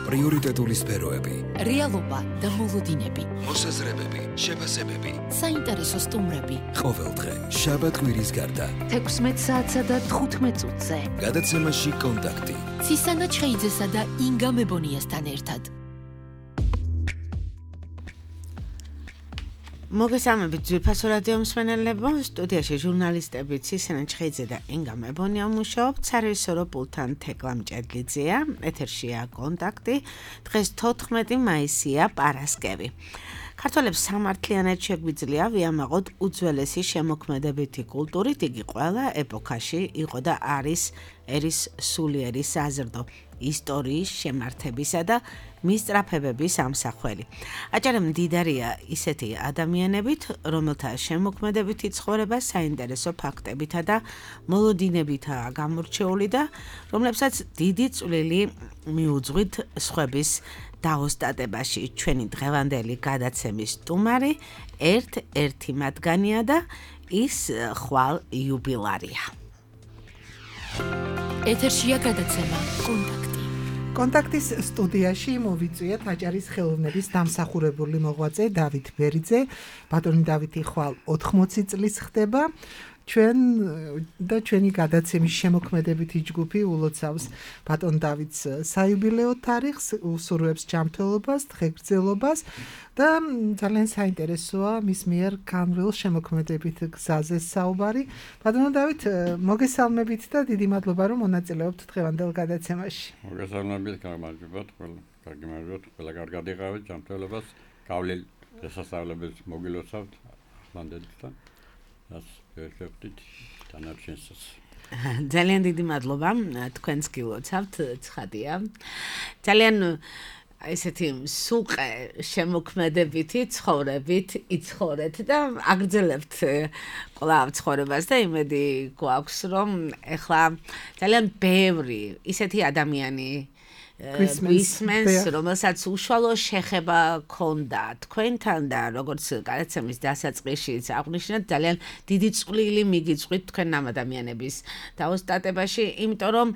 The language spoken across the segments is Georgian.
პრიორიტეტული სფეროები, რეალობა და მოლოდინები, მოსაზრებები, შეფასებები, საინტერესო სტუმრები. ყოველდღე შაბათ-კვირის გარდა 16 საათსა და 15 წუთზე. გადაცემაში კონტაქტი. ცისანა ჩხეიძესა და ინგა მებონიასთან ერთად. მოგესალმებით ძვირფასო რადიო მსმენელებო, სტუდიაში ჟურნალისტები ცისანა ჩხეიძე და ინგა მებონია მუშაობთ, სარევისორო პულტთან თეკლა მჭედლიძეა, ეთერშია კონტაქტი, დღეს 14 მაისია პარასკევი. ქართველებს სამართლიანად შეგვიძლია ვიამაყოთ უძველესი შემოქმედებითი კულტურით, იგი ყველა ეპოქაში იყო და არის ერის სულიერი საზრდო ისტორიის შემართებისა და მისწრაფებების ამსახველი. აჭარა მდიდარია ისეთი ადამიანებით, რომელთა შემოქმედებითი ცხოვრება საინტერესო ფაქტებითა და მოლოდინებითაა გამორჩეული და რომლებსაც დიდი წვლილი მიუძღვით სხვების დაოსტატებაში. ჩვენი დღევანდელი გადაცემის სტუმარი ერთ-ერთი მათგანია და ის ხვალ იუბილარია. ეთერშია გადაცემა კონტაქტი. კონტაქტის სტუდიაში მოვიწვიეთ აჭარის ხელოვნების დამსახურებული მოღვაწე დავით ბერიძე. ბატონი დავითი ხვალ 80 წლის ხდება. ჩვენი გადაცემის შემოქმედებითი ჯგუფი ულოცავს ბატონ დავითს საიუბილეო თარიღს, უსურვებს ჯანმრთელობას, დღეგრძელობას და ძალიან საინტერესოა მის მიერ განვლილ შემოქმედებით გზაზე საუბარი. ბატონო დავით, მოგესალმებით და დიდი მადლობა რომ მონაწილეობთ დღევანდელ გადაცემაში. მოგესალმებით, გამარჯობათ, კარგი მადლობა, ყველა კარგად იყავით, ჯანმრთელობას, გავლილ შესასწავლებლებს მოგილოცავთ ახლანდელთან. ვერშევდით დანარჩენსაც. ძალიან დიდი მადლობა, თქვენს გილოცავთ, ცხადია. ძალიან ესეთი სულყე შემოქმედებითი ცხოვრებით იცხოვრეთ და აგრძელებთ კვლავ ცხოვრებას და იმედი გვაქვს, რომ ეხლა ძალიან ბევრი ისეთი ადამიანი გვისმენს, რომელსაც უშუალო შეხება ჰქონდა თქვენთან და როგორც გადაცემის დასაწყისშიც აღვნიშნეთ, ძალიან დიდი წვლილი მიგიწვით თქვენ ამ ადამიანების დაოსტატებაში, იმიტომ რომ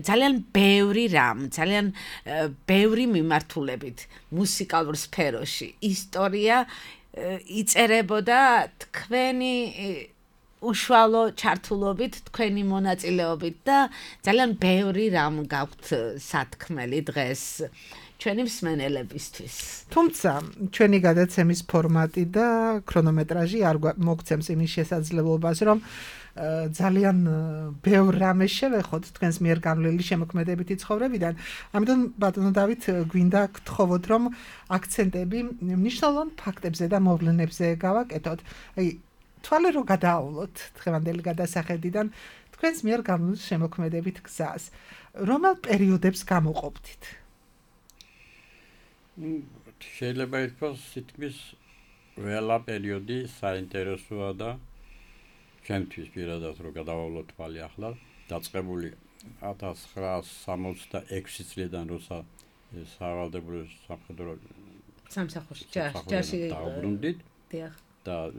ძალიან ბევრი რამ, ძალიან ბევრი მიმართულებით მუსიკალურ სფეროში ისტორია იწერებოდა თქვენი უშუალო ჩართულობით, თქვენი მონაწილეობით და ძალიან ბევრი რამ გაქვთ სათქმელი დღეს ჩვენი მსმენელებისთვის. თუმცა ჩვენი გადაცემის ფორმატი და ქრონომეტრაჟი არ მოგცემს იმის შესაძლებლობას, რომ ძალიან ბევრ რამეს შევეხოთ თქვენს მიერ განვლილი შემოქმედებითი ცხოვრებიდან. ამიტომ ბატონო დავით, გვინდა გთხოვოთ, რომ აქცენტები მნიშვნელოვან ფაქტებზე და მოვლენებზე გავაკეთოთ. თვალე რო გადაავლოთ დღევანდელი გადასახედიდან თქვენს მიერ განვლილ შემოქმედებით გზას. რომელ პერიოდებს გამოყოფდით? შეიძლება ითქვას, თითქმის ყველა პერიოდი საინტერესოა და ჩემთვის პირადად რო გადაავლოთ თვალე ახლა, დაწყებული 1966 წლიდან, როცა სავალდებულო სამხედრო სამსახურში ჯარში დაუბრუნდით და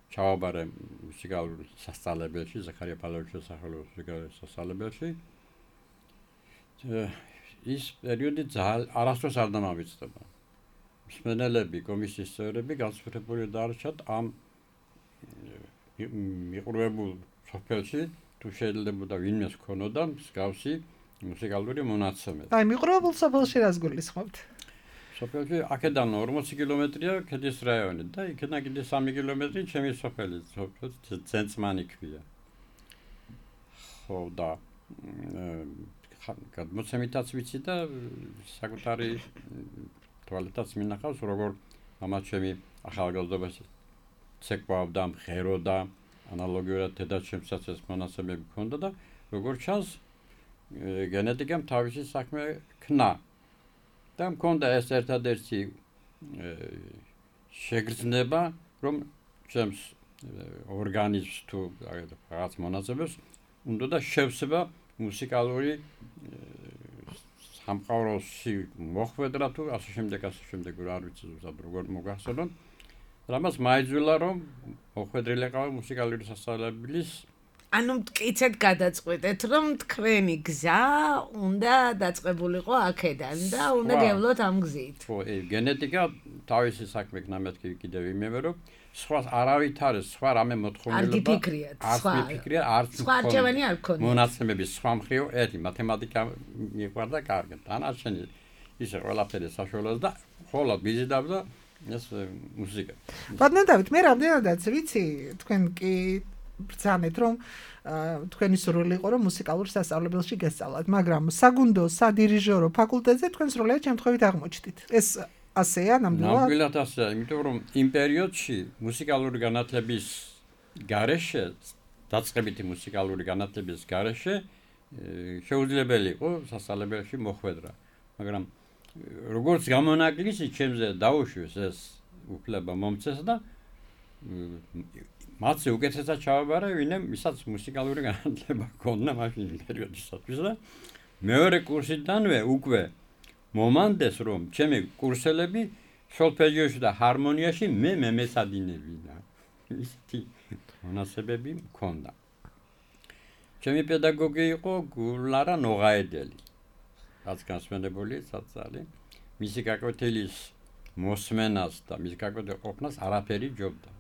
ჩავაბარე მუსიკალურ სასწავლებელში, ზაქარია პავლოვიჩის სახელობის მუსიკალურ სასწავლებელში. ის პერიოდი არასდროს არ დამამიწყდება. მსმენელები, კომისიის წევრები განსაკუთრებული დარჩათ ამ მიყრუებულ სოფელში, თუ შეიძლება ვინმეს ქონოდა მსგავსი მუსიკალური მონაცემები. აი, მიყრუებულ სოფელში რას გულისხმობთ? სოფელში აქედან 40 კილომეტრია ქედის რაიონი და იქიდან კიდე 3 კილომეტრი ჩემი სოფელი, ცენტმანი ქვია. ხო და გადმოცემითაც ვიცი და საკუთარი თვალითაც მინახავს, როგორ ამათ ჩემი ახალგაზრდობაში ცეკვავდა, მღეროდა, ანალოგიურად დედაჩემსაც ეს მონაცემები ჰქონდა და როგორ ჩანს გენეტიკამ თავისი საქმე ქნა. და მქონდა ეს ერთადერთი შეგრძნება, რომ ჩემს ორგანიზმს თუ რაღაც მონაცემებს უნდა და შევსება მუსიკალური სამყაროში მოხვედრა თუ ასე შემდეგ არ ვიცი ზუსტად როგორ მოგახსენოთ. რამაც მაიძულა რომ მოხვედრილიყავი მუსიკალური სასწავლებლის ანუ მტკიცედ გადაწყვეტეთ, რომ თქვენი გზა უნდა დაწყებულიყო აქედან და უნდა გევლოთ ამ გზით. ხო, გენეტიკა თავისი საქმე ნამეთქი კიდევ იმევე რომ სხვა არავით არის სხვა რამე მოთხოვნილება არც მიფიქრია, არც სხვა არჩევანი არ გქონია. მონაცემების სხვა მხრივ ერთი მათემატიკა მიყვარდა კარგად. დანარჩენი ისე ყველაფერი საშუალოა და ხოლოდ ვიზიდავდა ეს მუსიკა. ბატონო დავით, მე რამდენადაც ვიცი, თქვენ კი ბრძანეთ რომ თქვენი სურვილი იყო რომ მუსიკალურ სასწავლებელში გესწავლათ, მაგრამ საგუნდო, სადირიჟორო ფაკულტეტზე თქვენ სრულიად შემთხვევით აღმოჩნდით. ეს ასეა ნამდვილად? ნამდვილად ასეა, იმიტომ რომ იმ პერიოდში მუსიკალური განათლების გარეშე, დაწყებითი მუსიკალური განათლების გარეშე შეუძლებელი იყო სასწავლებელში მოხვედრა. მაგრამ როგორც გამონაკლისი ჩემზე დაუშვეს ეს უფლება მომწეს და მათზე უკეთესად ჩავაბარე, ვინმე ვისაც მუსიკალური განათლება ჰქონდა მაშინ პერიოდისათვის და მეორე კურსიდანვე უკვე მომანდეს რომ ჩემი კურსელები სოლფეჯიოში და ჰარმონიაში მე მემესადინებინა. ისეთი მონაცემები მქონდა. ჩემი პედაგოგი იყო გულარა ნოღაედელი. რაც განსვენებული საწალი. მისი გაკვეთილის მოსმენას და მისი გაკვეთილი ყოფნას არაფერი ჯობდა.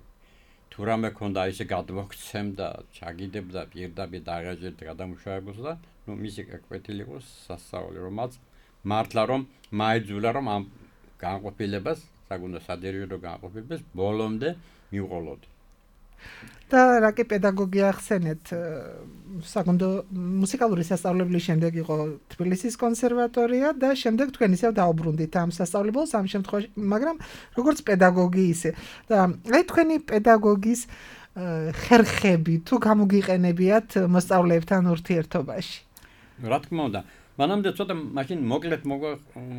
თუ რამე ქონდა ისე გადმოგცემდა, ჩაგიდებდა პირდაპირ დაღეჯერდა გადამუშავებულს და ნუ მისი გაკვეთილი იყო სასწაული, რომაც მართლა რომ მაიძულა რომ ამ განყოფილებას, საგუნდო სადირიჟორო განყოფილებას ბოლომდე მივყოლოდი. და რაკი პედაგოგი ახსენეთ, საგუნდო მუსიკალური სასწავლებლის შემდეგ იყო თბილისის კონსერვატორია და შემდეგ თქვენ ისევ დაუბრუნდით ამ სასწავლებელს ამ შემთხვევაში, მაგრამ როგორც პედაგოგი ისე. და აი თქვენი პედაგოგის ხერხები თუ გამოგიყენებიათ მოსწავლეებთან ურთიერთობაში? რა თქმა უნდა, მანამდე ცოტა მაშინ მოკლედ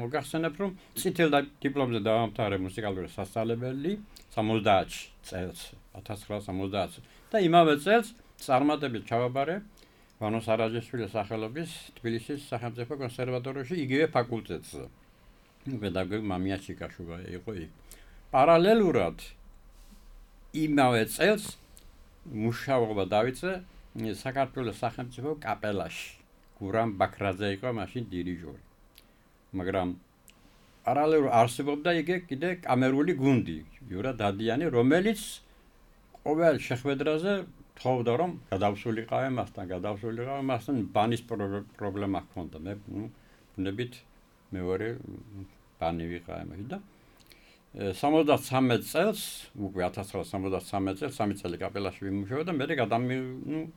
მოგახსენებ რომ წითელ დიპლომზე დავამთავრე მუსიკალური სასწავლებელი 70 წელს 1970 და იმავე წელს წარმატებით ჩავაბარე ვანო სარაჯაშვილის სახელობის თბილისის სახელმწიფო კონსერვატორიაში იგივე ფაკულტეტზე. პედაგოგი მამია ჩიკაშუვა იყო იქ. პარალელურად იმავე წელს მუშაობა დავიწყე საქართველოს სახელმწიფო კაპელაში. გურამ ბაქრაძე იყო მაშინ დირიჟორი. მაგრამ პარალელურად არსებობდა კიდე კამერული გუნდი, იურა დადიანი, რომელიც ყოველ შეხვედრაზე თხოვდა რომ გადავსულიყავე მასთან, ბანის პრობლემა ჰქონდა. მე ბუნებით მეორე ბანი ვიყავე მაშინ და 73 წელს, უკვე 1973 წელს 3 წელი კაპელაში ვიმუშავა და მე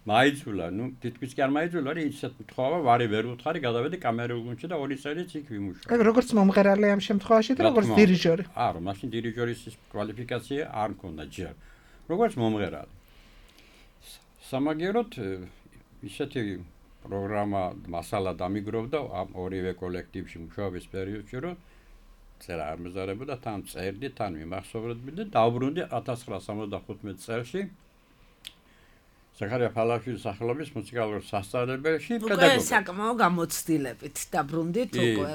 მაიძულა, თითქმის კი არ მაიძულა, ისეთ თქვა, ვარი ვერ უთხარი, გადავედი კამერულ გუნდში და 2 წელიც იქ ვიმუშავა. როგორც მომღერალი ამ შემთხვევაში და როგორც დირიჟორი. არა, მაშინ დირიჟორის კვალიფიკაცია არ მქონდა ჯერ. როგორც მომღერალი. სამაგეროდ ისეთი პროგრამა მასალა დამიგროვდა ამ ორივე კოლექტივში მუშაობის პერიოდში, რომ წერა არ მეზარებოდა, თან წერდი, თან ვიმახსოვრებდი და დავბრუნდი 1975 წელში. ზაქარია ფალაშვილის სახელობის მუსიკალურ სასწავლებელში პედაგოგი. უკვე საკმაო გამოცდილებით დაბრუნდით უკვე.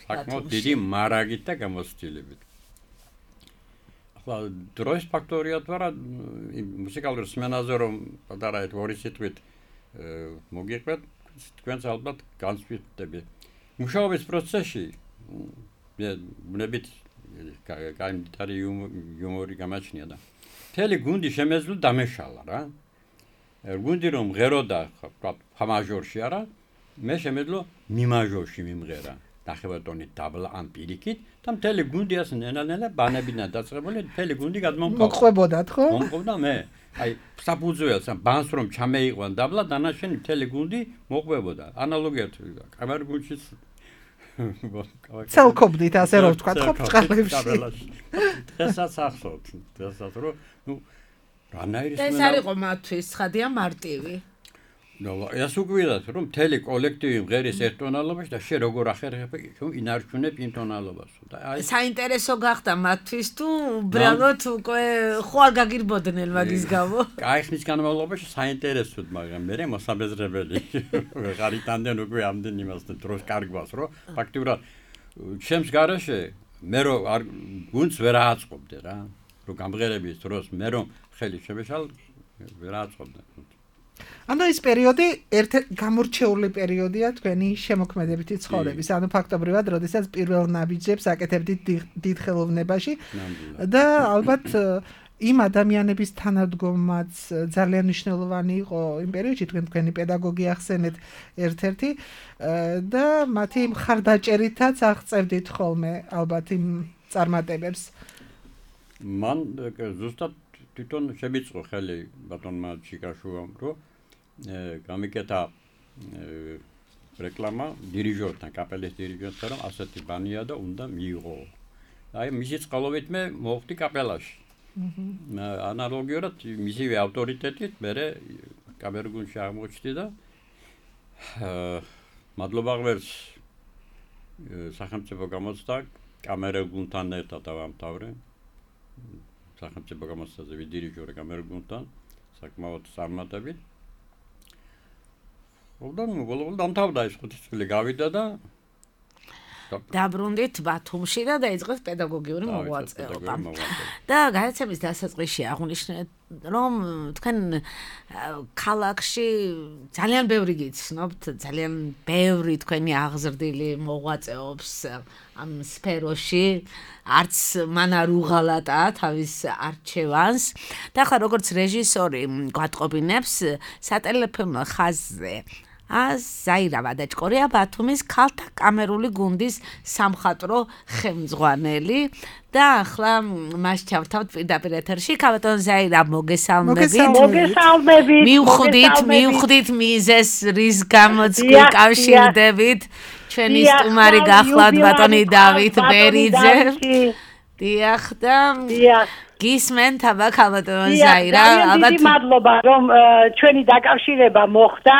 საკმაოდ დიდი მარაგით და გამოცდილებით. ახლა დროის ფაქტორია თუ არა მუსიკალურ სმენაზე რომ პატარა ორი სიტყვით მოგიყვეთ, თქვენც ალბათ განსვიტები. მუშაობის პროცესში ბუნებით კაი იუმორი გამაჩნია და მთელი გუნდი შემეძლო დამეშალა რა. გუნდი რომ მღეროდა ფამაჟორში არა, მე შემეძლო მიმაჟორში მიმღერა. ნახევარტონით დაბლა ან პირიქით და მთელი გუნდი ასე ნელა ბანებინა დაწყებული, მთელი გუნდი გადმომყავდა. მოყვებოდათ ხო? მომყავდა მე. აი საფუძველს ბანს რომ ჩამეიყვან დაბლა, დანარჩენი მთელი გუნდი მოყვებოდა. ანალოგიად კამერულ გუნდში ცელკობდით ასე რომ ვთქვა ხო წყალებში. დღესაც ახსოვთ, დღესაც რომ რანაირი ეს არ იყო მათთვის ცხადია მარტივი. ეს უგვირად რომ მთელი კოლექტივი მღერის ერთტონალობაში და შე როგორ ახერხებ ინარჩუნებ იმ ტონალობას და აი საინტერესო გახდა მათთვის თუ უბრალოდ უკვე ხო არ გაგირბოდნენ მაგის გამო. კაი ხნის განმავლობაში საინტერესოდ, მაგრამ მე მოსაბეზრებელი ვეღარ იტანდნენ უკვე ამდენ იმასთან დროს კარგვას რომ ფაქტიურად ჩემს გარეშე მე რომ გუნდს ვერ აწყობდე რა რომ გამღერების დროს მე რომ ხელი შემეშალ ვერ აწყობდე. ანუ ეს პერიოდი გამორჩეული პერიოდია თქვენი შემოქმედებითი ცხოვრების. ანუ ფაქტობრივად, როდესაც პირველ ნაბიჯებს აკეთებდით დიდ ხელოვნებაში და ალბათ იმ ადამიანების თანადგომაც ძალიან მნიშვნელოვანი იყო იმ პერიოდში, თქვენი პედაგოგი ახსენეთ ერთ-ერთი და მათი მხარდაჭერითაც აღწევდით ხოლმე ალბათ იმ წარმატებებს. მან ზუსტად თვითონ შემიწყო ხელი ბატონმა ჩიკაშუამ, რომ გამიკეთა რეკლამა დირიჟორთან, კაპელის დირიჟორთან, რომ ასეთი ბანია და უნდა მიიღო. აი მისი წყალობით მე მოვხდი კაპელაში. ანალოგიურად მისივე ავტორიტეტით მე კამერგუნში აღმოჩნდი და მადლობა ღმერთს სახელმწიფო გამოცდა კამერგუნთან ერთად დავამთავრე. სახელმწიფო გამოცდაზე ვიდირიჟორე კამერგუნთან საკმაოდ წარმატებით. ბოლოს დამთავრდა ეს 5 წელი გავიდა და დაბრუნდით ბათუმში და დაიწყეთ პედაგოგიური მოღვაწეობა. და გადაცემის დასაწყისში აღვნიშნეთ, რომ თქვენ ქალაქში ძალიან ბევრი გიცნობთ, ძალიან ბევრი თქვენი აღზრდილი მოღვაწეობს ამ სფეროში, არც მან არ უღალატა თავის არჩევანს. და ახლა როგორც რეჟისორი გვატყობინებს სატელეფონო ხაზზე ზაირა ვადაჭკორია ბათუმის ქალთა კამერული გუნდის სამხატვრო ხელმძღვანელი და ახლა მას ჩავთავთ პირდაპირ ეთერში. ბატონ ზაირა, მოგესალმებით. მივხვდით მიზეს, რის გამოც გიკავშირდებით. ჩვენი სტუმარი გახლავთ ბატონი დავით ბერიძე. დიახ და გისმენთ აბა ბატონ ზაირა, ალბათ მადლობა რომ ჩვენი დაკავშირება მოხდა.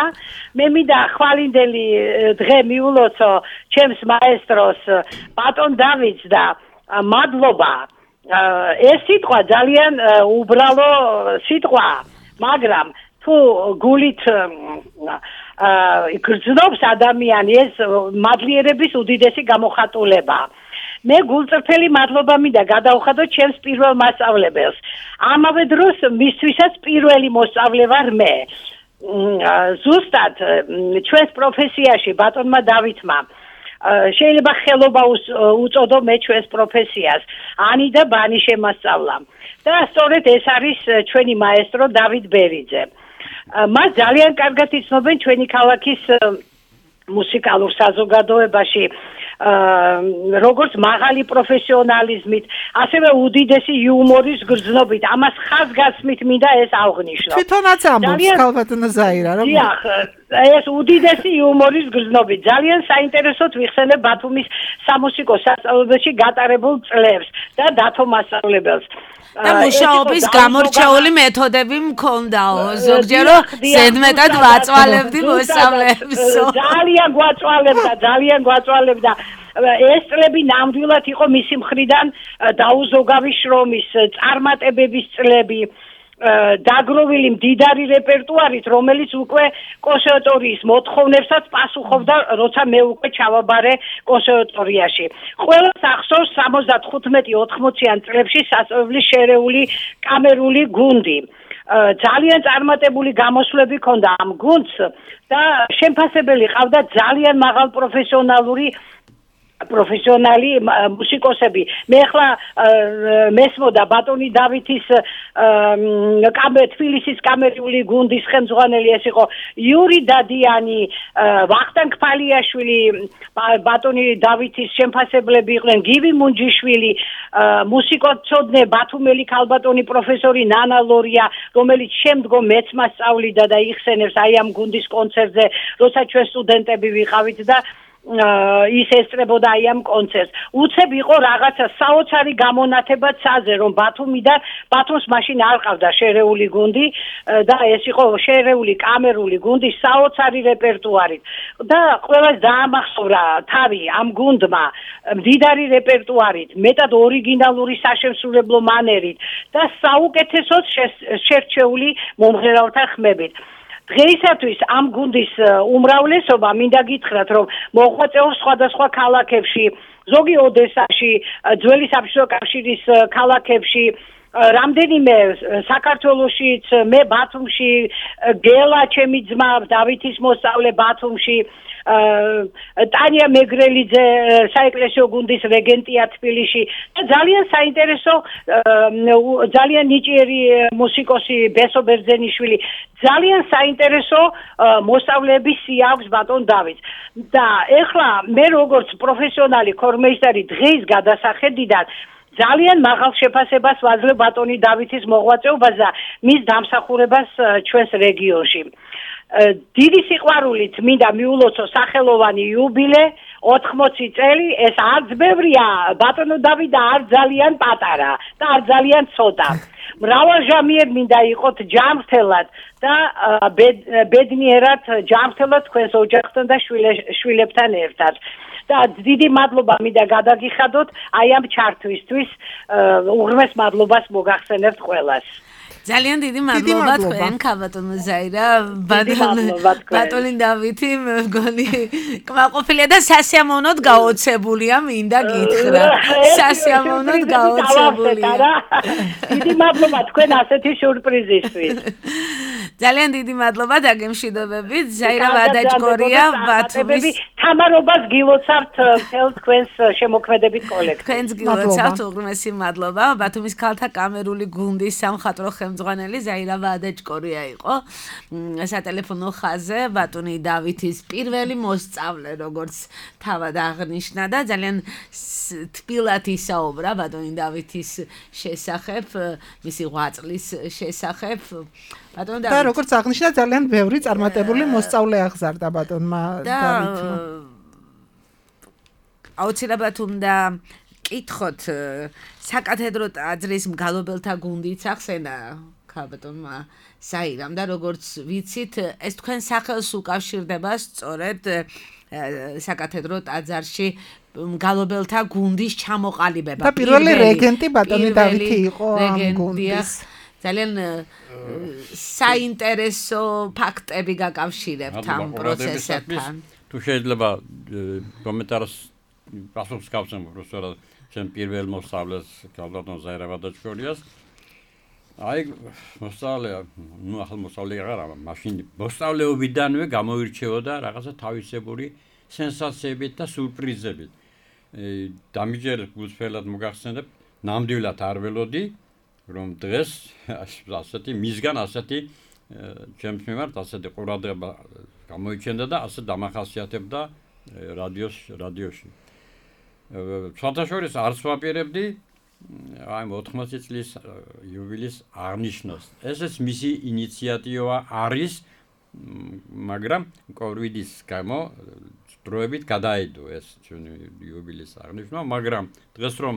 მე მინდა ხვალინდელი დღე მიულოცო ჩემს მაესტროს ბატონ დავითს და მადლობა. ეს სიტყვა ძალიან უბრალო სიტყვა, მაგრამ თუ გულით გრძნობს ადამიანი, ეს მადლიერების უდიდესი გამოხატულება. მე გულწრფელი მადლობა მინდა გადავხადო ჩემს პირველ მასწავლებელს. ამავე დროს მისთვისაც პირველი მოსწავლე ვარ მე. ზუსტად ჩვენს პროფესიაში ბატონმა დავითმა შეიძლება ხელობა უწოდო მე ჩვენს პროფესიას. ანი და ბანი შემასწავლა. და სწორედ ეს არის ჩვენი მაესტრო დავით ბერიძე. მას ძალიან კარგად იცნობენ ჩვენი ქალაქის მუსიკალურ საზოგადოებაში, როგორც მაღალი პროფესიონალიზმით, ასევე უდიდესი იუმორის გრძნობით. ამას ხაზგასმით მინდა ეს აღვნიშნო. თვითონაც ამბობს ქალბატონო ზაირა, რომ დიახ, ეს უდიდესი იუმორის გრძნობით. ძალიან საინტერესოდ ვიხსენებ ბათუმის სამუსიკო სასწავლებელში გატარებულ წლებს და დათო მასწავლებელს. და მუშაობის გამორჩეული მეთოდები მქონდაო, ზოგჯერ ზედმეტად ვაწვალებდი მოსწავლეებს. ძალიან გვაწვალებდა. ეს წლები ნამდვილად იყო მისი მხრიდან დაუზოგავი შრომის, წარმატებების წლები. დაგროვილი მდიდარი რეპერტუარით, რომელიც უკვე კონსერვატორიის მოთხოვნებსაც პასუხობდა, როცა მე უკვე ჩავაბარე კონსერვატორიაში. ყველას ახსოვს 75-80-იან წლებში სასწავლებლის შერეული კამერული გუნდი. ძალიან წარმატებული გამოსვლები ჰქონდა ამ გუნდს და შემფასებელი ყავდა ძალიან მაღალ პროფესიონალი მუსიკოსები. მე ახლა მესმოდა ბატონი დავითის თბილისის კამერული გუნდის ხელმძღვანელი ეს იყო იური დადიანი, ვახტანგ ფალიაშვილი, ბატონი დავითის შემფასებლები იყვნენ გივი მუნჯიშვილი, მუსიკოსწოდნე ბათუმელი ქალბატონი პროფესორი ნანა ლორია, რომელიც შემდგომ მეც მასწავლიდა და იხსენებს აი ამ გუნდის კონცერტზე, როცა ჩვენ სტუდენტები ვიყავით და ის ესწრებოდა აი ამ კონცერტს. უცებ იყო რაღაცა საოცარი გამონათება ცაზე, რომ ბათუმს მაშინ არ ყავდა შერეული გუნდი და ეს იყო შერეული კამერული გუნდი საოცარი რეპერტუარით. და ყველას დაამახსოვრა თავი ამ გუნდმა მდიდარი რეპერტუარით, მეტად ორიგინალური საშემსრულებლო მანერით და საუკეთესოდ შერჩეული მომღერალთა ხმებით. დღეისათვის ამ გუნდის უმრავლესობა მინდა გითხრათ, რომ მოღვაწეობს სხვადასხვა ქალაქებში, ზოგი ოდესაში, ძველი საბჭოთა კავშირის ქალაქებში, რამდენიმე საქართველოშიც მე ბათუმში გელა ჩემი ძმა დავითის მოსწავლე ბათუმში ტანია მეგრელიძე საეკლესიო გუნდის რეგენტია თბილისში და ძალიან საინტერესო ძალიან ნიჭიერი მუსიკოსი ბესო ბერძენიშვილი ძალიან საინტერესო მოსწავლეების სია აქვს ბატონ დავითს და ეხლა მე როგორც პროფესიონალი ქორმეისტერი დღის გადასახედიდან ძალიან მაღალ შეფასებას ვაძლევ ბატონი დავითის მოღვაწეობას და მის დამსახურებას ჩვენს რეგიონში. დიდი სიყვარულით მინდა მიულოცო სახელოვანი იუბილე 80 წელი ეს არც ბევრია ბატონო დავით და არ ძალიან პატარა და არ ძალიან ცოტა. მრავალჟამიერ მინდა იყოთ ჯანმრთელად და ბედნიერად ჯანმრთელად თქვენს ოჯახთან და შვილებთან ერთად. და დიდი მადლობა მინდა გადაგიხადოთ აი ამ ჩართვისთვის უღრმეს მადლობას მოგახსენებთ ყველას. ძალიან დიდი მადლობა თქვენ ქაბატონო ზაირა ბატონი დავითი მგონი კმაყოფილია და სასიამოვნოდ გაოცებულია მინდა გითხრა სასიამოვნოდ გაოცებულია დიდი მადლობა თქვენ ასეთი სიურპრიზისთვის ძალიან დიდი მადლობა დაგემშვიდობებით ზაირა ვადაჯგორია ბათუმის თამარობას გილოცავთ მთელ თქვენს შემოქმედებით კოლექტივს თქვენს გილოცავთ უღრმესი მადლობა ბათუმის ქალთა კამერული გუნდის სამხატვრო ხელმძღვანელი ზაირა ვადაჯგორია იყო სატელეფონო ხაზზე ბატონი დავითის პირველი მოსწავლე როგორც თავად აღნიშნა და ძალიან თბილად ისაუბრა ბატონი დავითის შესახებ მისი ღვაწლის შესახებ ბატონი და როგორც აღნიშნა ძალიან ბევრი წარმატებული მოსწავლე აღზარდა ბატონმა დავითმა აუცილებლად უნდა კითხოთ საკათედრო ტაძრის მგალობელთა გუნდიც ახსენა ქაბატონმა საირამ და როგორც ვიცით ეს თქვენ სახელს უკავშირდება სწორედ საკათედრო ტაძარში მგალობელთა გუნდის ჩამოყალიბება და პირველი რეგენტი ბატონი დავითი იყო ამ გუნდის ძალიან საინტერესო ფაქტები გაკავშირებთ ამ პროცესებთან თუ შეიძლება კომენტარს პასუხს გავცემ უბრალოდ ჩემ პირველ მოსწავლეს ქალბატონ ზაირა ვადაჯგორიას აი მოსწავლე ნუ ახალ მოსწავლე არა მაშინ მოსწავლეობიდანვე გამოირჩეოდა რაღაცა თავისებური სენსაციებით და სურპრიზებით დამიჯერ გულწრფელად მოგახსენებ ნამდვილად არ ველოდი რომ დღეს ასეთი მისგან ასეთი ჩემს მიმართ ასეთი ყურადღება გამოიჩენდა და ასე დამახასიათებდა რადიოში საერთაშორისო არც ვაპირებდი აი 80 წლის იუბილეის აღნიშვნას ესეც მისი ინიციატივა არის მაგრამ კოვიდის გამო დროებით გადაიდო ეს ჩვენი იუბილეის აღნიშვნა მაგრამ დღეს რომ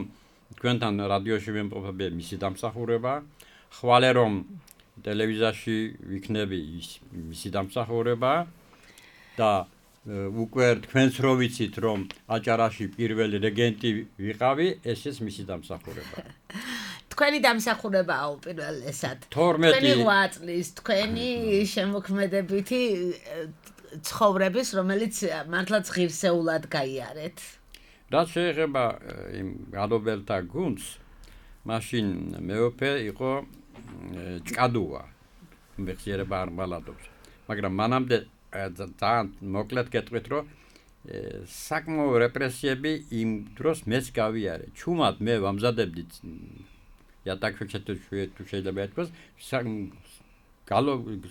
თქვენთან რადიოში ვიმყოფები მისი დამსახურება ხვალე რომ ტელევიზიაში ვიქნები მისი დამსახურება და უკვე თქვენს რო ვიცით რომ აჭარაში პირველი რეგენტი ვიყავი ესეც მისი დამსახურება თქვენი დამსახურებაა უპირველესად თქვენი ღვაწლის თქვენი შემოქმედებითი ცხოვრების რომელიც მართლაც ღირსეულად გაიარეთ რაც შეეხება იმ გალობელთა გუნდს მაშინ მეუფე იყო ჭკადუა მეხსიერება არ მალადობს მაგრამ მანამდე ძალიან მოკლედ გეტყვით რომ საკმაო რეპრესიები იმ დროს მეც გავიარე ჩუმად მე ვამზადებდი იატაკში თუ შეიძლება ეთქოს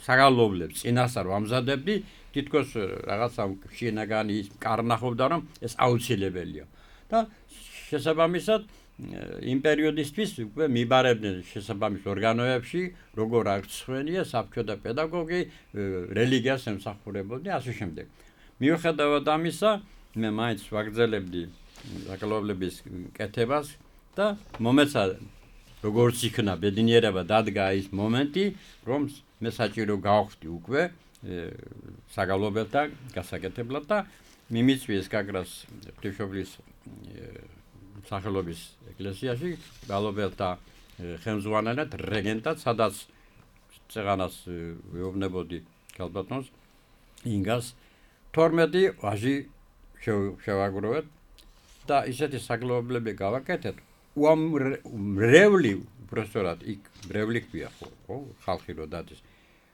საგალობლებს წინასწარ ვამზადებდი თითქოს რაღაცა შინაგანი ის კარნახობდა რომ ეს აუცილებელია და შესაბამისად იმ პერიოდისთვის უკვე მიბარებდნენ შესაბამის ორგანოებში როგორ აღწვენია საბჭო და პედაგოგი რელიგიას ემსახურებოდნენ ასე შემდეგ მიუხედავად ამისა მე მაინც ვაგრძელებდი საკალობლების კეთებას და მომეცა როგორც იქნა ბედნიერება დადგა ის მომენტი რომ მე საჭირო გავხდი უკვე საგალობელთა გასაკეთებლად და მიმიწვიეს გაგრას ღვთისმშობლის სახელობის ეკლესიაში გალობელთა ხელმძღვანელად რეგენტად სადაც წეღანას ვეუბნებოდი ქალბატონს ინგას 12 ვაჟი შევაგროვეთ და ისეთი საგალობლები გავაკეთეთ უამრევი უბრალოდ იქ ბრევლი ქვია ხო ხალხი რო დადის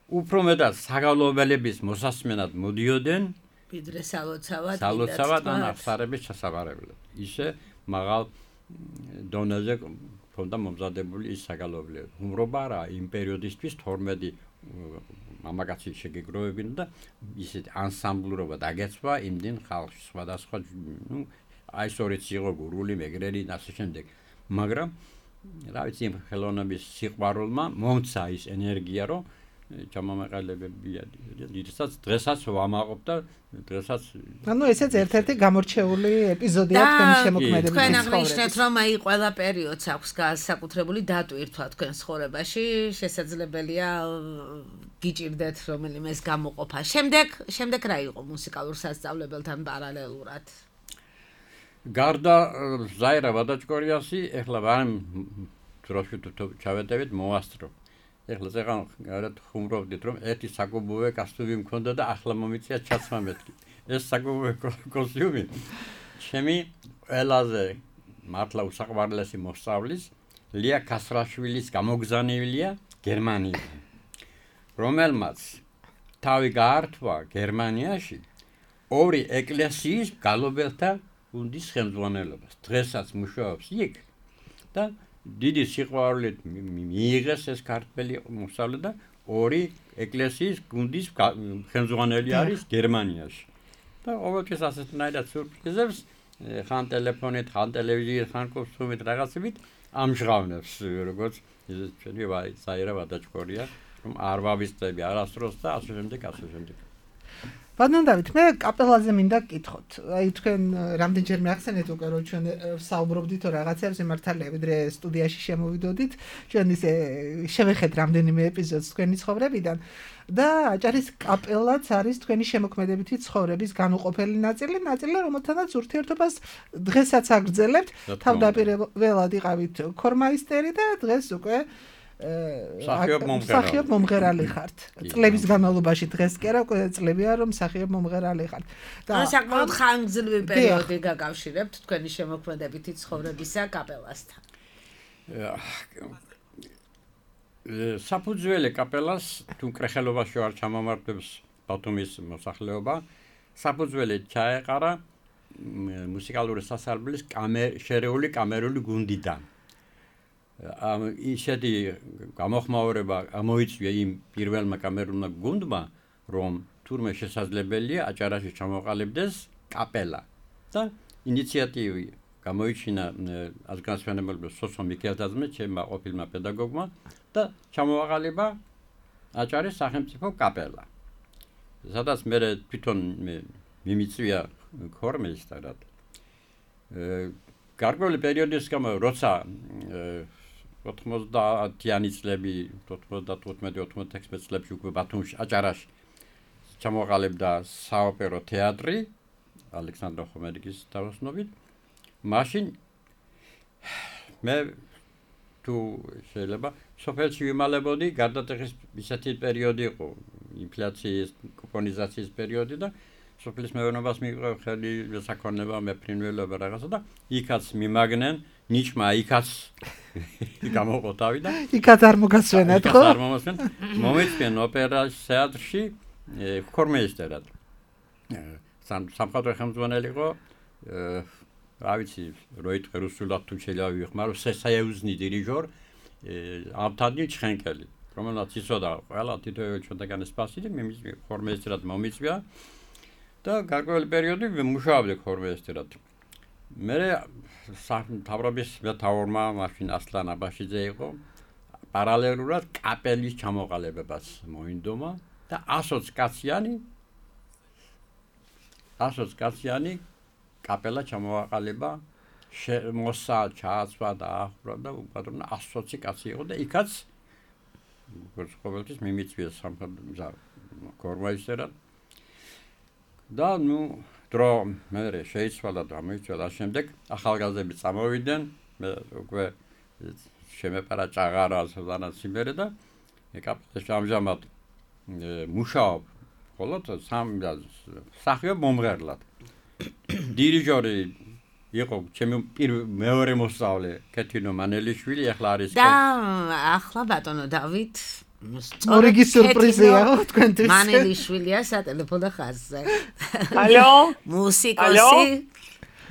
უფრო მეტად საგალობელების მოსასმენად მოდიოდნენ ვიდრე სალოცავად სალოცავად ან აღსარების ჩასაბარებლად ისე მაღალ დონეზე ქონდა მომზადებული ის საგალობლები უმრობა რა იმ პერიოდისთვის 12 მამაკაცი შეგეგროვებინა და ისეთ ანსამბლურობა დაგეცვა იმდენ ხალხი სხვადასხვა აი სწორედ იყო გურული მეგრელი და ასე შემდეგ მაგრამ რა ვიცი ხელოვნების სიყვარულმა მომცა ის ენერგია რომ ჩამომეყალებებია დიდსაც დღესაც ვამაყობ და დღესაც ანუ ესეც ერთ-ერთი გამორჩეული ეპიზოდია თქვენი შემოქმედების თქვენ აღნიშნეთ რომ აი ყველა პერიოდს აქვს განსაკუთრებული დატვირთვა თქვენ ცხოვრებაში შესაძლებელია გიჭირდეთ რომელიმე ეს გამოყოფა შემდეგ რა იყო მუსიკალურ სასწავლებელთან პარალელურად გარდა ზაირა ვადაჭკორიასი ეხლა ვარ დროში ჩავედებით მოასწრო ეხლა ზეღან გარეთ ხუმრობდით რომ ერთი საკუბოვე კასტუმი მქონდა და ახლა მომიწია ჩაცმა მეთქი ეს საკუბოვე კოსტიუმი ჩემი ყველაზე მართლა უსაყვარლესი მოსწავლის ლია კასრაშვილის გამოგზავნილია გერმანიაში რომელმაც თავი გაართვა გერმანიაში ორი ეკლესიის გალობელთა გუნდის ხელმძღვანელობას დღესაც მუშაობს იქ და დიდი სიყვარულით მიიღეს ეს ქართველი მოსწავლე და ორი ეკლესიის გუნდის ხელმძღვანელი არის გერმანიაში და ყოველთვის ასეთნაირად სურპრიზებს ხან ტელეფონით, ხან ტელევიზიით, ხან კოსტუმით რაღაცებით ამჟღავნებს როგორც ჩვენი ზაირა ვადაჭკორია რომ არ ვავისწრები არასდროს და ასე შემდეგ ბატონ დავით, მე კაპელაზე მინდა გკითხოთ. აი თქვენ რამდენჯერმე ახსენეთ უკვე რომ ჩვენ საუბრობდით რაღაცებს მართალია, ვიდრე სტუდიაში შემოვიდოდით, ჩვენ ისე შევეხეთ რამდენიმე ეპიზოდს თქვენი ცხოვრებიდან და აჭარის კაპელაც არის თქვენი შემოქმედებითი ცხოვრების განუყოფელი ნაწილი, რომელთანაც ურთიერთობას დღესაც აგრძელებთ. თავდაპირველად იყავით ქორმაისტერი და დღეს უკვე მსახიობ მომღერალი ხართ. წლების განმავლობაში დღეს კი არა, უკვე წლებია რომ მსახიობ მომღერალი ხართ. და საკმაოდ ხანგრძლივი პერიოდი გაკავშირებთ თქვენი შემოქმედებითი ცხოვრებისა კაპელასთან. საფუძველი კაპელას თუ კრეხელობაში არ ჩამომართებს ბათუმის მოსახლეობა, საფუძველი ჩაეყარა მუსიკალური სასარბლის შერეული კამერული გუნდიდან. ისეთი გამოხმაურება გამოიწვია იმ პირველმა კამერულმა გუნდმა, რომ თურმე შესაძლებელია აჭარაში ჩამოყალიბდეს კაპელა და ინიციატივი გამოიჩინა ազգանասვენებელ სოსო მიქელდაძმე, ჩემმა ყოფილმა პედაგოგმა და ჩამოაყალიბა აჭარის სახელმწიფო კაპელა. სადაც მე თვითონ მიმიწვია ქორმეისტარად. გარკვეული პერიოდის გამო როცა 90-იანი წლები 95-96 წლებში უკვე ბათუმში აჭარაში ჩამოყალიბდა საოპერო თეატრი ალექსანდრე ხომერიკის თავოსნობით მაშინ მე თუ შეიძლება სოფელში ვიმალებოდი გარდატეხის ისეთი პერიოდი იყო ინფლაციის კუპონიზაციის პერიოდი და სოფლის მეურნეობას მიიღო ხელი საკონნება მეფრინველობა რაღაცა და იქაც მიმაგნენ ნიჭმა იქაც გამოყოთავი და იქაც არ მოგასვენეთ ხო? არ მომასვენ მომეწვენ ოპერაში თეატრში ქორმეისტერად სამხატვრო ხელმძღვანელი იყო რა ვიცი როიტ რუსულად თუ შეიძლება ვიხმარო სესაევზნი დირიჟორ აბთადი ჩხენკელი რომელსაც იცოდა ყველა თითოეულ ჩვენთაგან სპასი და ქორმეისტერად მომიწვია და გარკვეული პერიოდი მუშაობდი ქორმეისტერად. მე თავრობის მეთაურმა მაშინ ასლან აბაშიძე იყო პარალელურად კაპელის ჩამოყალიბებას მოინდომა და 100 კაციანი კაპელა ჩამოაყალიბა მოსა ჩააცვა და ახურა და უპატრონა 120 კაცი იყო და იქაც ყოველთვის მიმიწვია სამხატვრო ქორმეისტერად და დრო მე შეიცვალა და მოიცვალა შემდეგ ახალგაზრდები წამოვიდნენ მე უკვე შემეპარა ჭაღარა სულანაც სიმერე და კაპელაში ამჟამად მუშაობ ხოლო მსახიობ მომღერლად დირიჟორი იყო ჩემი მეორე მოსწავლე კეთინო მანელიშვილი ახლა არის და ახლა ბატონო დავით მორიგი სიურპრიზია თქვენთვის მანელიშვილია სატელეფონო ხაზზე ალო მუსიკოსი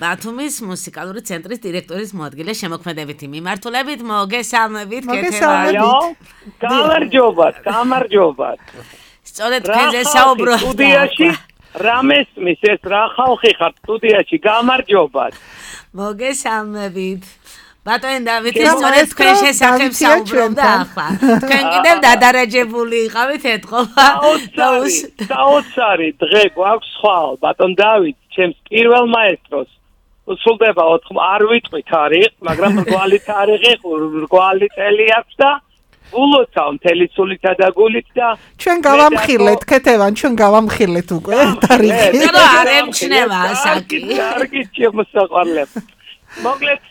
ბათუმის მუსიკალური ცენტრის დირექტორის მოადგილე შემოქმედებითი მიმართულებით მოგესალმებით გამარჯობათ სწორედ თქვენზე საუბრობ სტუდიაში რამესმის ეს რა ხალხი ხართ სტუდიაში გამარჯობათ მოგესალმებით ბატონი დავითი სწორედ თქვენ შესახებ საუბრობდა ახლა თქვენ კიდევ დადარაჯებული იყავით ეთყობა საოცარი დღე გვაქვს ხვალ ბატონ დავით ჩემს პირველ მაესტროს უსულდება არ ვიტყვი თარიღს მაგრამ რგვალი თარიღი რგვალი წელი აქვს და ულოცავ მთელი სულითა და გულით და ჩვენ გავამხილეთ ქეთევან ჩვენ გავამხილეთ უკვე თარიღი და არ ემჩნევა ასაკი კარგი შემოსაყვარლებ მოკლედ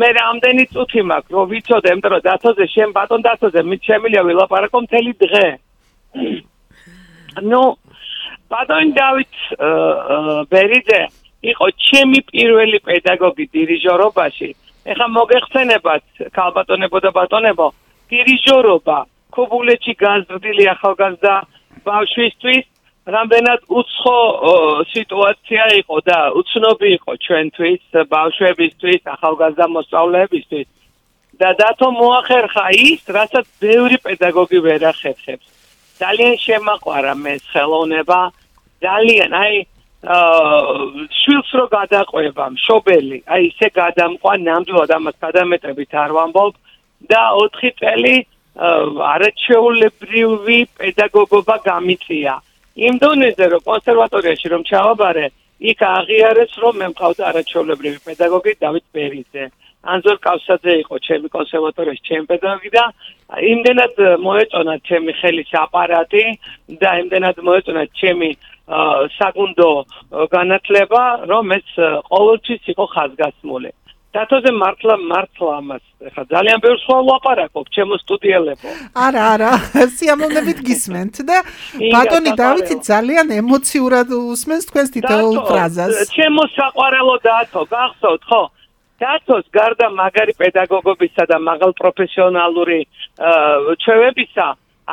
მე რამდენი წუთი მაქვს რომ ვიცოდე იმიტომ რომ დათოზე შენ ბატონ დათოზე მით შემიძლია ვილაპარაკო მთელი დღე ნუ ბატონ დავით ბერიძე იყო ჩემი პირველი პედაგოგი დირიჟორობაში ეხლა მოგეხსენებათ ქალბატონებო და ბატონებო დირიჟორობა ქობულეთში გაზრდილი ახალგაზრდა ბავშვისთვის რამდენად უცხო სიტუაცია იყო და უცნობი იყო ჩვენთვის ბავშვებისთვის ახალგაზრდა მოსწავლეებისთვის და დათო მოახერხა ის რასაც ბევრი პედაგოგი ვერ ახერხებს ძალიან შემაყვარა მე ხელოვნება ძალიან აი შვილს რო გადაყვება მშობელი აი ისე გადამყვა ნამდვილად ამას გადამეტებით არ ვამბობ და 4 წელი არაჩვეულებრივი პედაგოგობა გამიწია იმ დონეზე რომ კონსერვატორიაში რომ ჩავაბარე იქ აღიარეს რომ მე მყავდა არაჩვეულებრივი პედაგოგი დავით ბერიძე ანზორ კავსაძე იყო ჩემი კონსერვატორიის ჩემი პედაგოგი და იმდენად მოეწონა ჩემი ხელის აპარატი და იმდენად მოეწონა ჩემი საგუნდო განათლება რომ ეს ყოველთვის იყო ხაზგასმული დათოზე მართლა ამას ხა ძალიან ბევრ სხვა ლაპარაკობ ჩემო სტუდიელებო არა სიამოვნებით გისმენთ და ბატონი დავითი ძალიან ემოციურად უსმენს თქვენს თითოეულ ფრაზას ჩემო საყვარელო დათო გახსოვთ ხო დათოს გარდა მაგარი პედაგოგობისა და მაღალ პროფესიონალური ჩვევებისა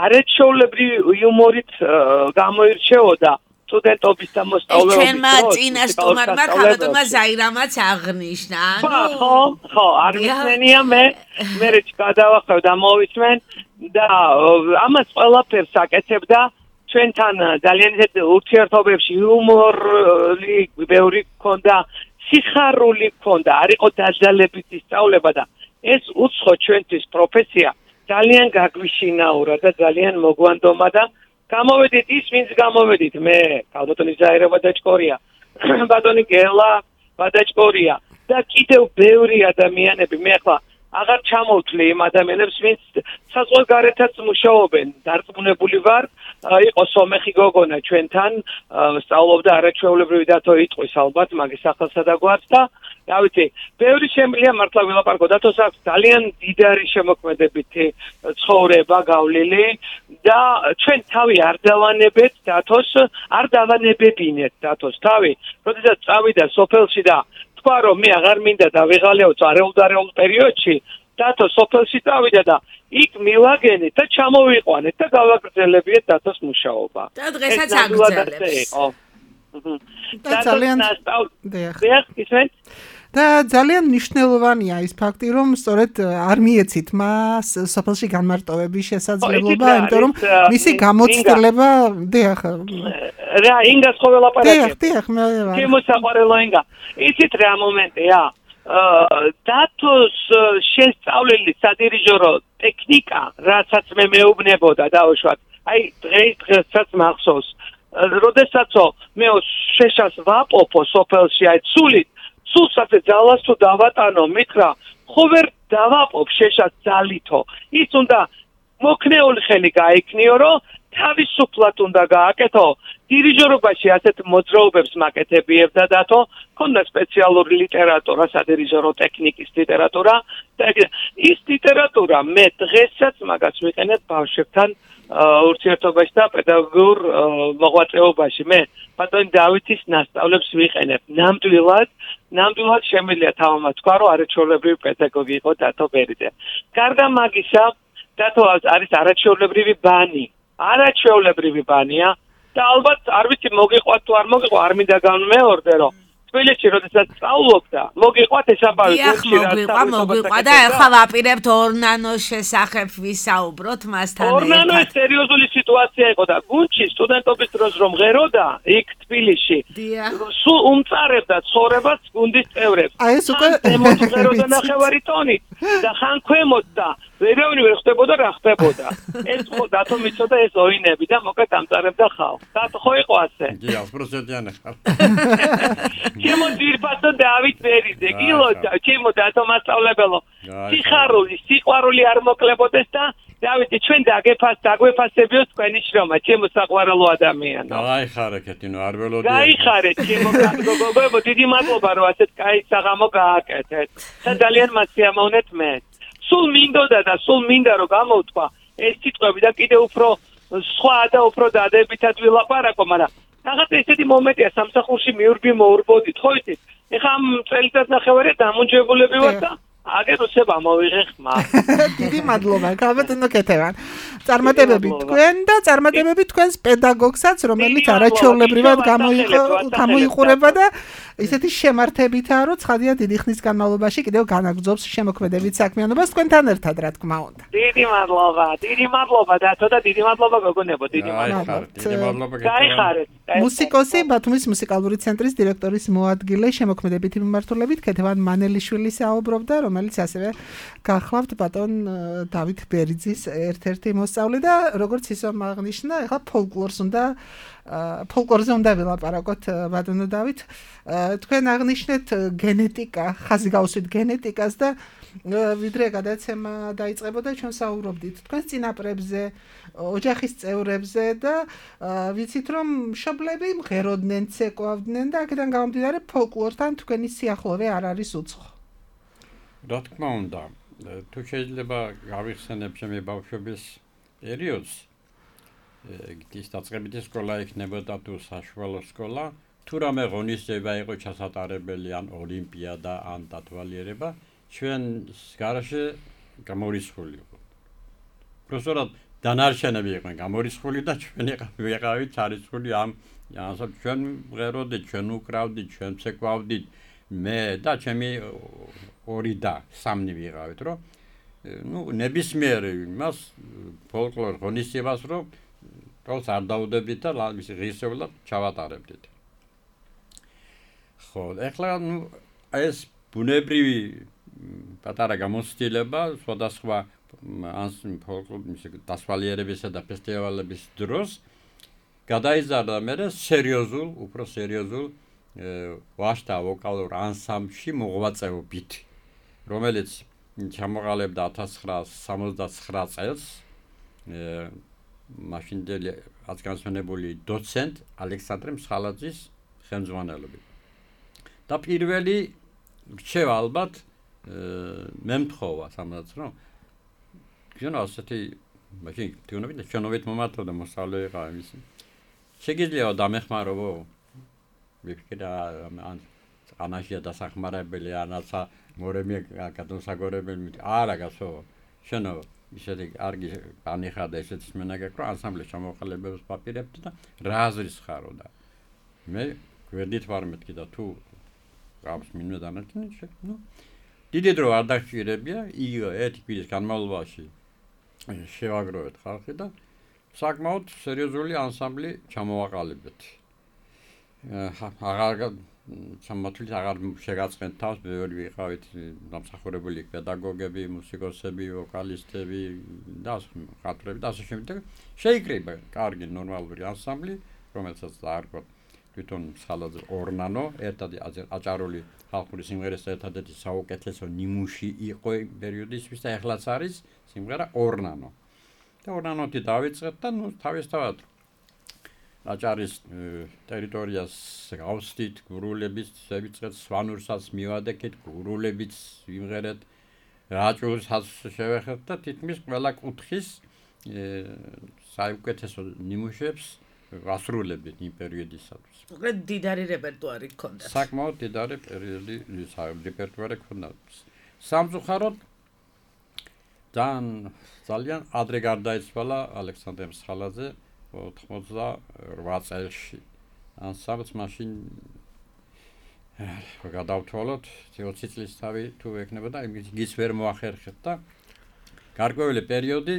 არაჩვეულებრივი იუმორით გამოირჩეოდა სტუდენტობის და მოსწავლეობის ჩვენმა წინა სტუმარმა ქალბატონმა ზაირამაც აღნიშნა ხო არ ვიცენია მე გადავახევ და მოვისმენ და ამას ყველაფერს აკეთებდა ჩვენთან ძალიან ისეთ ურთიერთობებში იუმორი ბევრი ჰქონდა სიხარული ჰქონდა არ იყო დაძალებითი სწავლება და ეს უცხო ჩვენთვის პროფესია ძალიან გაგვიშინაურა და ძალიან მოგვანდომა და გამოვედით ის ვინც გამოვედით მე ქალბატონი ზაირა ბადაჭკორია ბატონი გელა ბადაჭკორია და კიდევ ბევრი ადამიანები მე ახლა აღარ ჩამოვთვლი იმ ადამიანებს ვინც საზღვარგარეთაც მუშაობენ დარწმუნებული ვარ იყო სომეხი გოგონა ჩვენთან სწავლობდა არაჩვეულებრივი დათო იტყვის ალბათ მაგის სახელსა და გვარს და რა ვიცი ბევრი შემიძლია მართლა ვილაპარაკო დათოს აქვს ძალიან დიდარი შემოქმედებითი ცხოვრება გავლილი და ჩვენ თავი არ დავანებეთ დათოს არ დავანებებინეთ დათოს თავი როდესაც წავიდა სოფელში და თქვა რომ მე აღარ მინდა დავიღალიო წარეულ პერიოდში დათო სოფელში წავიდა და იქ მივაგენით და ჩამოვიყვანეთ და გავაგრძელებიეთ დათოს მუშაობა და დღესაც აგრძელებს და ძალიან და ძალიან მნიშვნელოვანია ის ფაქტი რომ სწორედ არ მიეცით მას სოფელში განმარტოვების შესაძლებლობა იმიტომ რომ მისი გამოცდილება დიახ რა ინგას ხო ველაპარაკებ დიახ მე შემოსაყვარელო ინგა იცით რა მომენტია დათოს შესწავლილი სადირიჟორო ტექნიკა რასაც მე მეუბნებოდა დაუშვათ აი დღესაც მახსოვს როდესაცო მე შეშას ვაპოპო სოფელში აი სულსაც ძალას თუ დავატანო მითხრა ხო ვერ დავაპობ შეშას ძალითო ის უნდა მოქნეული ხელი გაიქნიო რომ თავისუფლად უნდა გააკეთო დირიჟორობაში ასეთ მოძრაობებს მაკეთებიებდა დათო ქონდა სპეციალური ლიტერატურა სადირიჟორო ტექნიკის ლიტერატურა და ის ლიტერატურა მე დღესაც მაგას ვიყენებ ბავშვებთან ურთიერთობაში და პედაგოგურ მოღვაწეობაში. მე ბატონი დავითის ნასწავლებს ვიყენებ. ნამდვილად შემიძლია თავმაც თქვა, რომ არაჩვეულებრივი პედაგოგი იყო დათო ბერიძე. გარდა მაგისა, დათო არის არაჩვეულებრივი ბანი. არაჩვეულებრივი ბანია და ალბათ არ ვიცი მოგიყვათ თუ არ მოგიყვათ, არ მინდა განმეორდე, რომ თბილისში როდესაც სწავლობდა, მოგიყვათ ესაბავი გუნდში მოგიყვა და ახლა ვაპირებთ ორნანოს შესახებ ვისაუბროთ მასთან ერთად. ორნანო სერიოზული სიტუაცია იყო და გუნდში სტუდენტობის დროს რომ ღეროდა იქ თბილისში, სულ უმწარებდა ცხოვრებას გუნდის წევრებს. აი ეს უკვე ღეროდა ნახევარი ტონით და ხან ქვემოთ და ვერავინ ვერ ხდებოდა რა ხდებოდა. ეს ხო დათო მიცოდა ეს ოინები და მოკლედ ამწარებდა ხალხს. დათო ხო იყო ასე? კი, 100%-იანი ხარ. ჩემო ძირფასო დავით ბერიძე, გილოცა, ჩემო დათო მასწავლებელო. სიყვარული არ მოკლებოდეს და დავითი ჩვენ დაგვეფასებიო თქვენი შრომა, ჩემო საყვარელო ადამიანო. გაიხარე კეთინო, არ ველოდი. გაიხარეთ, ჩემო გოგო, დიდი მადლობა რომ ასეთ კაი საღამო გააკეთეთ. და ძალიან მასიამოვნეთ მე. სულ მინდა რომ გამოვთქვა ეს სიტყვები და კიდე უფრო სხვა და უფრო დადებითად ვილაპარაკო, მაგრამ რაღაც ესეთი მომენტია სამსახურში მოურბოდით, ხო იცით? ეხლა ამ წელიწად ნახევარია დამონჯებულები ვარ და აგერ უცებ ამოვიღე ხმა. დიდი მადლობა, გაბატონო კეთევან. წარმატებები თქვენ და წარმატებები თქვენს პედაგოგსაც, რომელიც არაჩვეულებრივად გამოიყურება და ისეთი შემართებითაა, რომ ცხადია დიდი ხნის განმავლობაში კიდევ განაგრძობს შემოქმედებით საქმიანობას თქვენთან ერთად, რა თქმა უნდა. დიდი მადლობა დათო და დიდი მადლობა გოგონებო, დიდი მადლობა. გაიხარეთ. მუსიკოსი, ბათუმის მუსიკალური ცენტრის დირექტორის მოადგილე შემოქმედებითი მიმართულებით ქეთევან მანელიშვილი საუბრობდა, რომელიც ასევე გახლავთ ბატონ დავით ბერიძის ერთ-ერთი მოსწავლე და როგორც ისომ აღნიშნა, ეხლა ფოლკლორზე უნდა ვილაპარაკოთ ბატონო დავით. თქვენ აღნიშნეთ გენეტიკა, ხაზი გავუსვით გენეტიკას და ვიდრე გადაცემა დაიწყებოდა ჩვენ საუბრობდით თქვენს წინაპრებზე, ოჯახის წევრებზე და ვიცით რომ მშობლები მღეროდნენ, ცეკვავდნენ და აქედან გამომდინარე ფოლკლორთან თქვენი სიახლოვე არ არის უცხო. რა თქმა უნდა, თუ შეიძლება გავიხსენებ ჩემი ბავშვობის პერიოდს, ის დაწყებითი სკოლა იქნებოდა თუ საშუალო სკოლა, თუ რამე ღონისძიება იყო ჩასატარებელი ან ოლიმპიადა ან დათვალიერება, ჩვენ გარეშე გამორიცხული იყო. პროფესორად დანარჩენები იყვნენ გამორიცხული და ჩვენ ვიყავით ჩარიცხული ამ ჩვენ მღეროდით, ჩვენ უკრავდით, ჩვენ ცეკვავდით, მე და ჩემი ორი და სამნი ვიყავით, რომ ნებისმიერ იმას ფოლკლორ ღონისძიებას რომ თავს არ დაუდებით და ღირსეულად ჩავატარებდით. ხო, ეხლა ეს ბუნებრივი პატარა გამოცდილება სხვადასხვა ფოლკლორის დასვალიერებისა და ფესტივალების დროს გადაიზარდა მე უფრო სერიოზულ ვაშთა ვოკალურ ანსამბლში მოღვაწეობით, რომელიც ჩამოყალიბდა 1969 წელს მაშინდელი აზგანსვენებული დოცენტ ალექსანდრე მსხალაძის ხელმძღვანელობით. და პირველი რჩევა ალბათ მე მთხოვა სამაც რომ ჩვენ ასეთი მაშინ თუნდაც ჩვენობით მომართოდა მოსწავლე იყავ იმის. შეგიძლია დამეხმარებო ვიფიქრა ან ანაშია დასახმარებელი ანაცა მორემი გადასაგორებელი არა გასო შენო ისეთი კარგი განიხადა ესეც მენაგაკრო ანსამბლში ჩამოყალიბებს პაპირებთ და რა აზრის ხარო და მე გვერდით ვარ მეთქი და თუ გავს მინდა დანარჩენი დიდი დრო არ დაგჭირებია იგივე ერთი კვირის განმავლობაში შევაგროვეთ ხალხი და საკმაოდ სერიოზული ანსამბლი ჩამოვაყალიბეთ. სამართლით აღარ შეგაწყენთ თავს, ბევრი ვიყავით დამსახურებული პედაგოგები, მუსიკოსები, ვოკალისტები და ხატრები და ასე შემდეგ. შეიკრიბა კარგი ნორმალური ანსამბლი, რომელსაც დაარქვა თვითონ მსხალაძე ორნანო, ერთად აჭარული ხალხური სიმღერის ერთადერთი საუკეთესო ნიმუში იყო პერიოდისთვის და ეხლაც არის სიმღერა ორნანო. და ორნანოთი დავიწყეთ და თავისთავად აჭარის ტერიტორიას გავსდით, გურულებით შევიწყეთ, სვანურსაც მივადექით, გურულებით ვიმღერეთ, რაჭულსაც შევეხეთ და თითქმის ყველა კუთხის საუკეთესო ნიმუშებს ასრულებდნენ იმ პერიოდისათვის. მოკლედ დიდარი რეპერტუარი ჰქონდათ. საკმაოდ დიდარი რეპერტუარი ჰქონდათ. სამწუხაროდ ძალიან ადრე გარდაიცვალა ალექსანდრე მსხალაძე 88 წელში. ანსამბლს მაშინ გადავთვალოთ 20 წლის თავი თუ ექნებოდა იმის ვერ მოახერხეთ და გარკვეული პერიოდი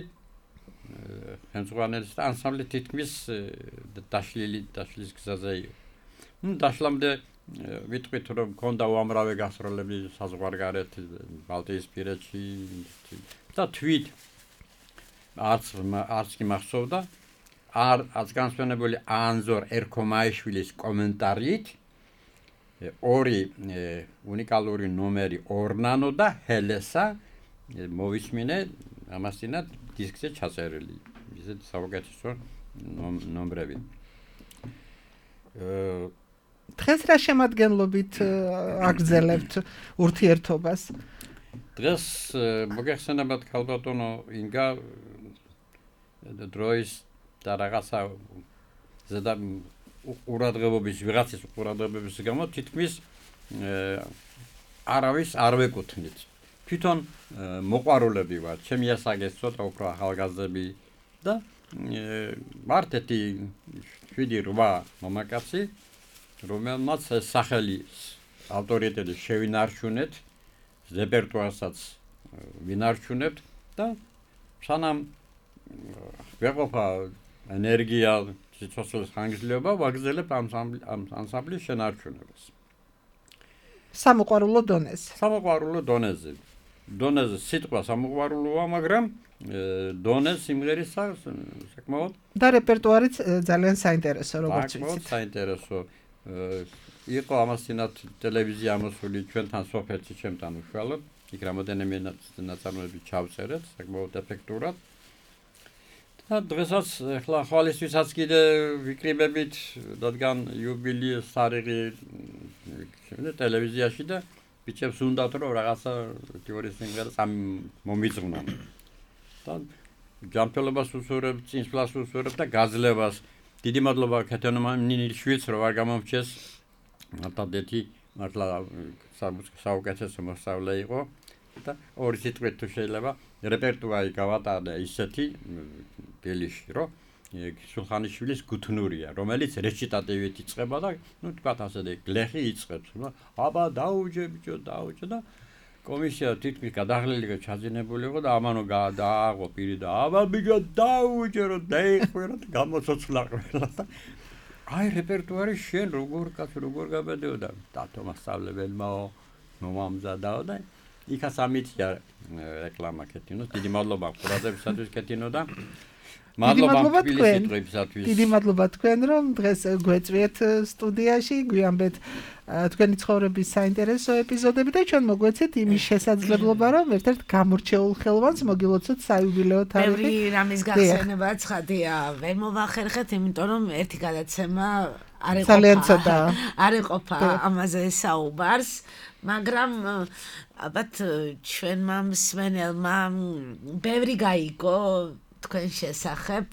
ხელმძღვანელის და ანსამბლი თითქმის დაშლის გზაზე იყო. დაშლამდე ვიტყვით რომ მქონდა უამრავი გასტროლები საზღვარგარეთ ბალტიისპირეთში და თვით არც კი მახსოვდა არც განსვენებული ანზორ ერქომაიშვილის კომენტარით ორი უნიკალური ნომერი ორნანო და ჰელესა მოვისმინე ამასთანავე დისკზე ჩაწერილი ისეთ საუკეთესო ნომრები. დღეს რა შემადგენლობით აგრძელებთ ურთიერთობას? დღეს მოგეხსენებათ ქალბატონო ინგა დროის და რაღაცა ზედა ყურადღებობის ვიღაცის ყურადღებების გამო თითქმის არავის არ ვეკუთვნით. თვითონ მოყვარულები ვართ, ჩემი ასაკის ცოტა უფრო ახალგაზრდები და მარტეთი 7-8 მამაკაცი, რომელმაც სახელი ავტორიტეტი შევინარჩუნეთ, რეპერტუარსაც ვინარჩუნებთ და სანამ ვეყოფა ენერგია სიცოცხლის ხანგრძლივობა ვაგრძელებთ ამ ანსამბლის შენარჩუნებას. სამოყვარულო დონეზე. სამოყვარულო დონეზე. დონეზე სიტყვა სამოყვარულოა, მაგრამ დონეს სიმღერის საკმაოდ და რეპერტუარიც ძალიან საინტერესო, როგორც ვიცით. საკმაოდ საინტერესო. იყო ამასთანავე ტელევიზია ამოსული ჩვენთან სოფელში, ჩემთან უშუალოდ. იქ რამოდენიმე ნაწარმოები ჩავწერეთ, საკმაოდ ეფექტურად. და დღესაც ახლა ხვალისთვისაც კიდე ვიკრიბებით, რადგან იუბილეის თარიღი ტელევიზიაში და ბიჭებს უნდათ რომ რაღაცა თეორიის სიმღერას მომიძღვნან. და ჯანმრთელობას უსურვებ, წინსვლას უსურვებ და გაძლებას. დიდი მადლობა ქეთონომინილშვილს რომ არ გამომრჩეს. მართლადეთი მართლა საუკეთესო მოსწავლე იყო და ორი სიტყვით თუ შეიძლება რეპერტუარი გავატარდა ისეთი ბელიში რომ სულხანიშვილის გუთნურია, რომელიც რეჩიტატივით იწყება და ნუ თქვათ ასე გლეხი იწყებს, რომ აბა დაუჯე ბიჭო დაუჯე და კომისია თითქმის გადაღლილი ჩაძინებული იყო და ამანო დააღო პირი და აბა ბიჭო დაუჯე რომ დაიხვე რომ გამოცოცხლა ყველა და აი რეპერტუარი შენ როგორ გაბედეოდა დათო მასწავლებელმაო მომამზადაო და იქაც ამითია რეკლამა ქეთინოს. დიდი მადლობა ყურადღებისათვის ქეთინო და მადლობა თბილისისათვის. დიდი მადლობა თქვენ რომ დღეს გვეწვიეთ სტუდიაში, გვიამბეთ თქვენი ცხოვრების საინტერესო ეპიზოდები და ჩვენ მოგვეცეთ იმის შესაძლებლობა რომ ერთ-ერთ გამორჩეულ ხელოვანს მოგილოცოთ საიუბილეო თარიღი. ბევრი რამის გახსენება ცხადია, ვერ მოვახერხეთ, იმიტომ რომ ერთი გადაცემა არ ეყოფა ამაზე საუბარს, მაგრამ ალბათ ჩვენმა მსმენელმა ბევრი გაიგო თქვენ შესახებ,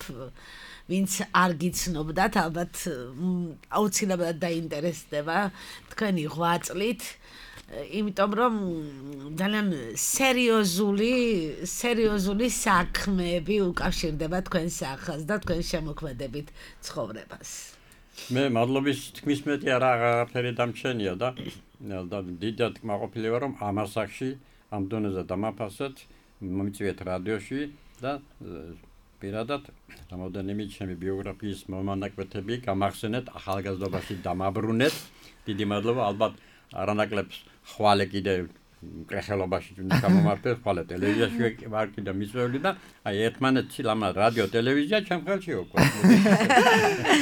ვინც არ გიცნობდათ, ალბათ აუცილებლად დაინტერესდება თქვენი ღვაწლით, იმიტომ რომ ძალიან სერიოზული საქმეები უკავშირდება თქვენ სახალს და თქვენ შემოქმედებით ცხოვრებას. მე მადლობის თქმის მეტი არაფერი დამჩენია და დიდად მაყოფილი ვარ რომ ამ ასაკში ამ დონეზე დამაფასეთ, მომიწვიეთ რადიოში და პირადად რამოდენიმე ჩემი ბიოგრაფიის მომანაკვეთები გამახსენეთ, ახალგაზრდობაში დამაბრუნეთ. დიდი მადლობა, ალბათ არანაკლებს ხვალე კიდე კრეხელობაში გამომართეთ, ხვალე ტელევიზიაში ვარ კიდე მიწვეული და აი ერთმანეთში ლამა რადიო ტელევიზია ჩემ ხელში უკვე.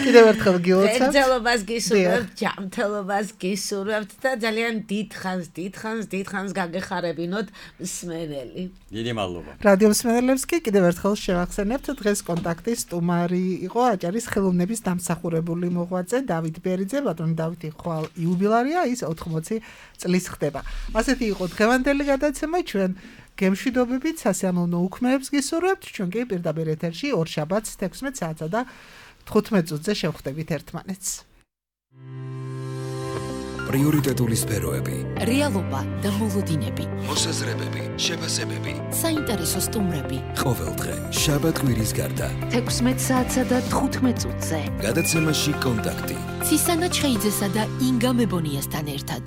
კიდევ ერთხელ გილოცავთ. გრძელობას გისურვებთ, ჯანმრთელობას გისურვებთ და ძალიან დიდხანს გაგეხარებინოთ მსმენელი. დიდი მადლობა. რადიო მსმენელებს კი კიდევ ერთხელ შევახსენებთ, დღეს კონტაქტის სტუმარი იყო აჭარის ხელოვნების დამსახურებული მოღვაწე დავით ბერიძე, ბატონი დავითი ხვალ იუბილარია, ის 80 წლის ხდება. ასეთი იყო დღევანდელი გადაცემა, ჩვენ გემშვიდობებით, სასიამოვნო უქმეებს გისურვებთ. ჩვენ კი პირდაპირ ეთერში ორშაბათს 16 საათსა და 15 წუთზე შევხვდებით ერთმანეთს. პრიორიტეტული სფეროები, რეალობა და მოლოდინები, მოსაზრებები, შეფასებები, საინტერესო სტუმრები. ყოველდღე შაბათ კვირის გარდა 16 საათსა და 15 წუთზე. გადაცემაში კონტაქტი. ცისანა ჩხეიძესა და ინგა მებონიასთან ერთად.